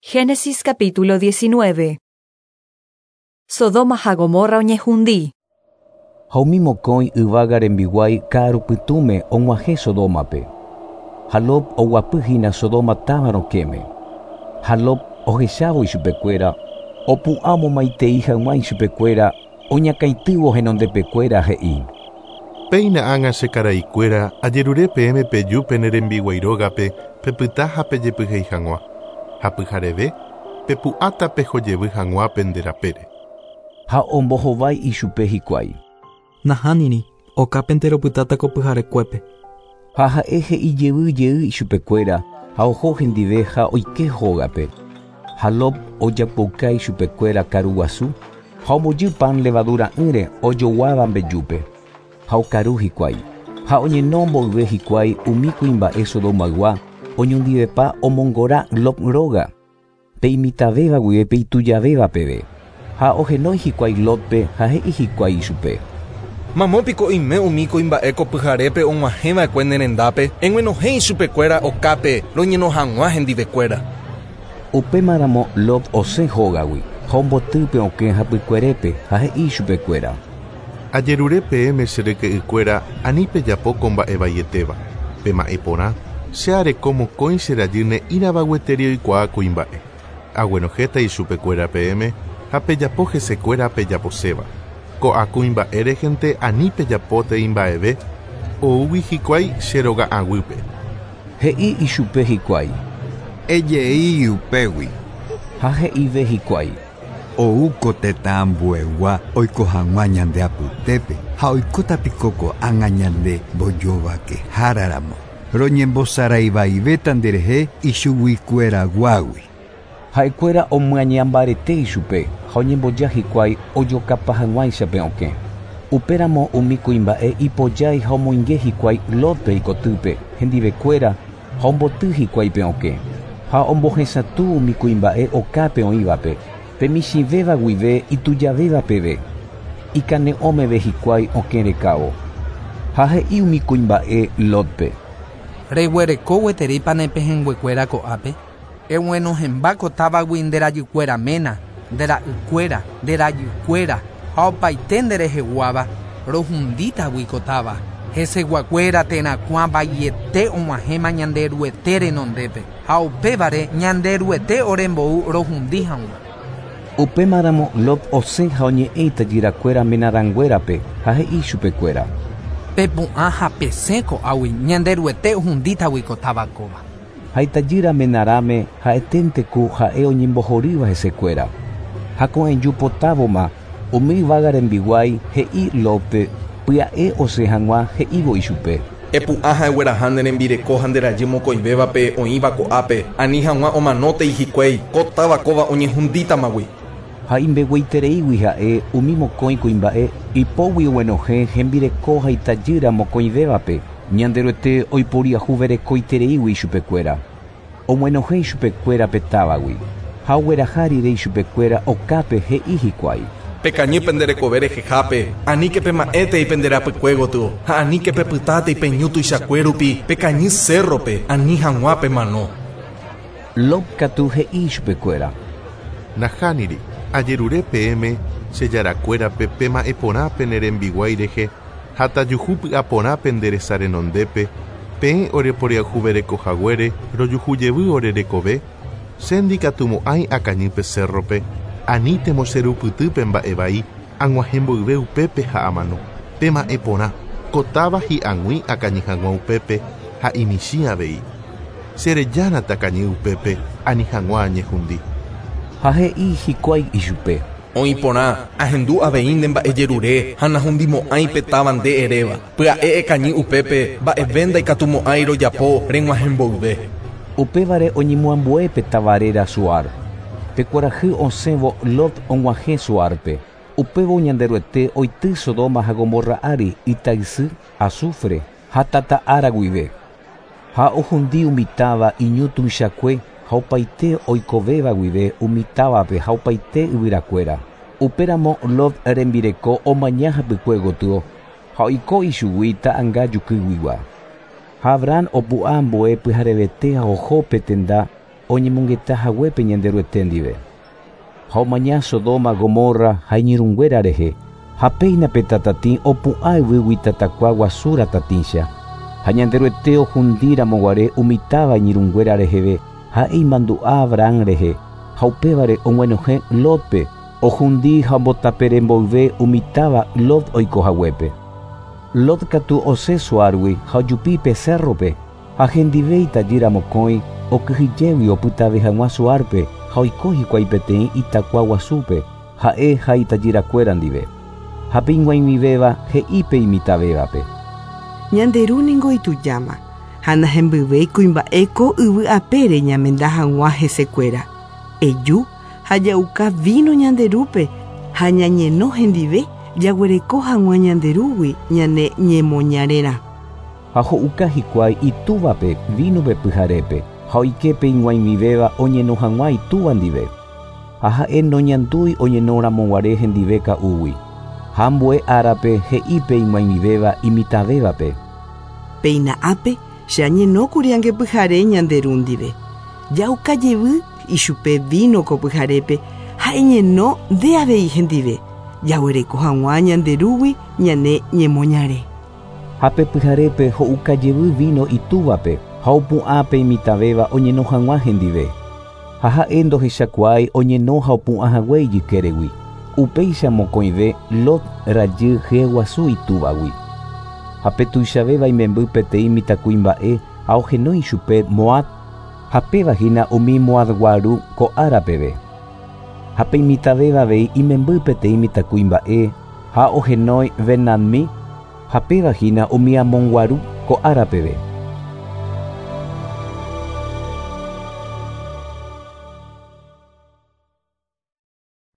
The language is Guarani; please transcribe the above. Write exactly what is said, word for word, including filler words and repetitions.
Génesis capítulo diecinueve. Sodoma ha Gomorra oñehundi. Ha umi mokõi yvága rembiguái ka'arupytũme og̃uahẽ Sodómape. Ha Lot oguapyhína Sodoma táva rokẽme. Ha Lot ohechávo ichupekuéra, opu'ã omomaitei hag̃ua ichupekuéra, oñakãitývo henondepekuéra he'i. Péina ág̃a che karaikuéra ajerure peẽme peju pene rembiguái rógape pepyta ha pejepyhéi hag̃ua. Ha pyhareve pepu'ãta pehojevy hag̃ua pende rapére. Ha ombohovái ichupe hikuái. Nahániri, okápente ropytáta ko pyharekuépe. Ha ha'e he'i jey jey ichupekuéra ha oho hendive ha oike hógape. Ha Lot ojapouka ichupekuéra karuguasu ha ombojy pan levadura'ỹre ojoguáva mbejúpe. Ha okaru hikuái. Ha oñeno mboyve hikuái umi kuimba'e Sodomaygua oñondivepa omongora Lot róga, pe imitavéva guive pe itujavéva peve. Ha ohenói hikuái Lotpe ha he'i hikuái ichupe. Mamópiko oime umi kuimba'e ko pyharépe og̃uahẽva'ekue ne rendápe, eg̃uenohẽ ichupekuéra okápe roñeno hag̃ua hendivekuéra. Upémaramo Lot osẽ hógagui ha ombotýpe okẽ hapykuerépe ha he'i ichupekuéra. Ajerure peẽme che ryke'ykuéra ani pejapo ko mba'e vaietéva. Pema'ẽ porã, che areko mokõi che rajy ne'írãva gueteri oikuaa kuimba'e. Aguenohẽta ichupekuéra peẽme ha pejapo hesekuéra pejaposéva. Ko'ã kuimba'e rehente ani pejapótei mba'eve oúgui hikuái che roga'aguýpe. He'i ichupe hikuái. Ejei upégui. Ha he'ive hikuái. Oúko tetã ambuegua oiko hag̃ua ñande apytépe ha oikótapiko ko'ág̃a ñande mbojovakehára roñembosaraivaivéta nderehe ichuguikueraguágui. Ha'ekuéra omyañambarete ichupe ha oñemboja hikuái ojokapa hag̃uáichape okẽ. Upéramo umi kuimba'e ipojái ha omoinge hikuái Lotpe ikotýpe hendivekuéra ha omboty hikuái pe okẽ. Ha ombohesatũ umi kuimba'e okápe oĩvape, pe michĩvéva guive itujavéva peve. Ikane'õmeve hikuái okẽ rekávo. Ha he'i umi kuimba'e Lotpe. Reguereko gueterípa ne pehẽnguekuéra ko'ápe. Eg̃uenohẽmba ko távagui nde rajykuéra ména, nde ra'ykuéra, nde rajykuéra ha opaite ndereheguáva rohundítagui ko táva. Heseguakuéra terakuã vaiete og̃uahẽma Ñanderuete renondépe ha upévare Ñanderuete orembou rohundi hag̃ua. Upémaramo Lot osẽ ha oñe'ẽ itajyrakuéra menarãnguérape ha he'i ichupekuéra. Pepu'ã ha pesẽ ko'águi Ñanderuete ohundítagui ko táva kóva. Ha itajýra menarãme ha'eténteku ha'e oñembohorýva hesekuéra. Ha ko'ẽjupotávoma umi yvága rembiguái he'i Lotpe pya'e osẽ hag̃ua he'ívo ichupe. Epu'ã ha egueraha ne rembireko ha nde rajy mokõivévape oĩva ko'ápe, ani hag̃ua omanótei hikuái ko táva kóva oñehundítamagui. Ha imbegueitereígui ha'e umi mokõi kuimba'e ipógui oguenohẽ hembireko ha itajýra mokõivévape Ñanderuete oiporiahuverekoitereígui ichupekuéra. Oguenohẽ ichupekuéra pe távagui ha ogueraha rire ichupekuéra okápe he'i hikuái. Pekañy pende rekove rehehápe, aníke pema'ẽtei pende rapykue gotyo ha aníke pepytátei peñu tuichakue rupi pekañy cerrope ani hag̃ua pemano. Lot katu he'i ichupekuéra. Nahániri, ajerure peẽme che jarakuérape pema'ẽ porã pene rembiguái rehe ha tajuhu py'aporã pende resa renondépe, peẽ oreporiahuverekohaguére rojuhujevy ore rekove, che ndikatumo'ãi akañy pe cerrope, anítemo che rupytýpe mba'e vai ag̃uahẽ mboyve upépe ha amano. Pema'ẽ porã, ko táva hi'ag̃ui akañy hag̃ua upépe ha imichĩ avei. Cherejána takañy upépe ani hag̃ua añehundi. Ha he'i hikuái ichupe. Oĩ porã, ahendu avei nde mba'ejerure ha nahundimo'ãi pe táva nde eréva. Pya'e ekañy upépe mba'eve ndaikatumo'ãi rojapo reg̃uahẽ mboyve. Upévare oñemoambue pe táva réra Zoar. Pe kuarahy osẽvo Lot og̃uahẽ Zoárpe. Upévo Ñanderuete oity Sodoma ha Gomorra ári itaysy, azufre ha tata ára guive. Ha ohundi umi táva iñu tuichakue ha opaite oikovéva guive umi távape ha opaite yvyrakuéra. Upéramo Lot rembireko omaña hapykue gotyo ha oiko ichugui ta'ãnga jukýguigua. Ha Abraham opu'ã ambue pyharevete ha oho pe tenda oñemongeta haguépe Ñanderuete ndive. Ha omaña Sodoma, Gomorra ha iñirũnguéra rehe, ha péina pe tatatĩ opu'ã yvýgui tatakua guasu ratatĩcha. Ha Ñanderuete ohundíramoguare umi táva iñirũnguéra reheve, ha'e imandu'a Abraham rehe, ha upévare og̃uenohẽ Lotpe, ohundi ha ombotapere mboyve umi táva Lot oikohaguépe. Lot katu osẽ Zoárgui ha ojupi pe cérrope, ha hendive itajýra mokõi okyhyjégui opytave hag̃ua Zoárpe ha oiko hikuái peteĩ itakua guasúpe, ha'e ha itajyrakuéra ndive. Ha pe ig̃uaig̃uivéva he'i pe imitãvévape. Ñande ru ningo itujáma ha nahembyvéi kuimba'e ko yvy apére ñamenda hag̃ua hesekuéra. Eju ha ja'uka vino ñande rúpe ha ñañeno hendive jaguereko hag̃ua ñande rúgui ñane ñemoñarerã. Ha ho'uka hikuái itúvape vínope pyharépe ha oike pe ig̃uaig̃uivéva oñeno hag̃ua itúva ndive. Ha ha'e noñandúi oñenoramoguare hendive ka'úgui. Ha ambue árape he'i pe ig̃uaig̃uivéva imitãvévape. Péina ápe che añenókuri ange pyhare ñande ru ndive. Ja'uka jevy ichupe vino ko pyharépe ha eñeno nde avei hendive. Jaguereko hag̃ua ñande rúgui ñane ñemoñare. Ha pe pyharépe ho'uka jevy vino itúvape ha opu'ã pe imitãvéva oñeno hag̃ua hendive. Ha ha'e ndohechakuaái oñeno ha opu'ã hague ijykéregui. Upéicha mokõive Lot rajy hyeguasu itúvagui. Ha pe tuichavéva imemby peteĩ mitãkuimba'e ha ohenói chupe Moab, ha péva hína umi Moabgua ru ko ára peve. Ha pe imitãvéva avei imemby peteĩ mitãkuimba'e ha ohenói Benammi, ha péva hína umi Amongua ru ko ára peve.